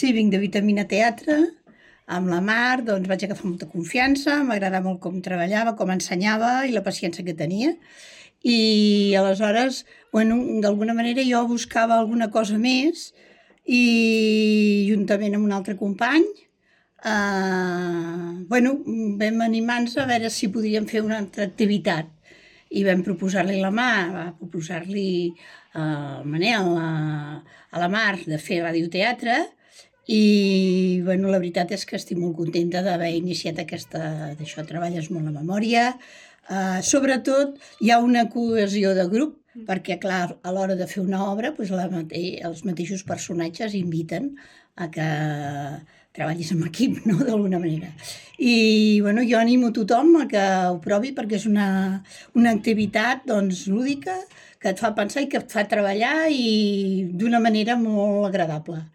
Sí, vinc de Vitamina Teatre, amb la Mar, doncs vaig agafar molta confiança, m'agradava molt com treballava, com ensenyava i la paciència que tenia. I aleshores, bueno, d'alguna manera jo buscava alguna cosa més i juntament amb un altre company, bueno, vam animar-nos a veure si podíem fer una altra activitat i vam proposar-li la Mar, va proposar-li al Manel, a la Mar, de fer radioteatre i bueno, la veritat és que estic molt contenta d'haver iniciat d'això, treballes molt la memòria, sobretot hi ha una cohesió de grup, perquè clar, a l'hora de fer una obra doncs els mateixos personatges inviten a que treballis en equip, no?, d'alguna manera. I bueno, jo animo tothom a que ho provi perquè és una activitat doncs, lúdica que et fa pensar i que et fa treballar i d'una manera molt agradable.